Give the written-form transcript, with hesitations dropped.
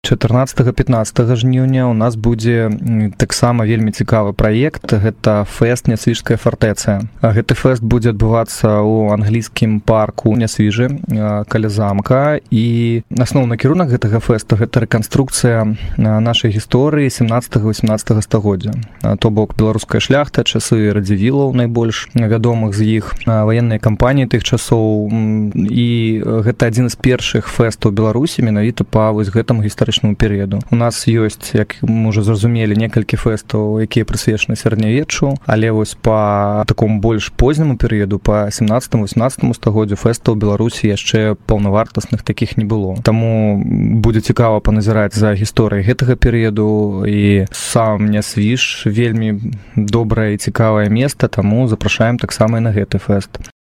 14-15 жніўня у нас будзе таксама вельмі цікавы праект. Гэта фэст Нясвіжская фартэцыя. Гэты фэст будзе адбывацца ў англійскім парку Нясвіжы каля замка, і асноўны кірунак гэтага фэсту гэта рэканструкцыя нашай гісторыі 17-18 стагоддзя. То бок беларуская шляхта, часы радзівілаў найбольш вядомых з іх, ваенныя кампаніі тых часоў, і гэта адзін з першых фэстаў Беларусі менавіта па вось гэтаму гістарычнаму перыяду. У нас ёсць, як мы ўжо зразумелі, некалькі фэстаў, якія прысвечаны сярэднявеччу, але вось па такому больш позняму перыяду, па 17-18 стагоддзю фэстаў Беларусі яшчэ паўнавартасных такіх не было. Таму будзе цікава паназіраць за гісторыяй гэтага перыяду, і сам Нясвіж вельмі добрае і цікавае месца, таму запрашаем таксама і на гэты фэст.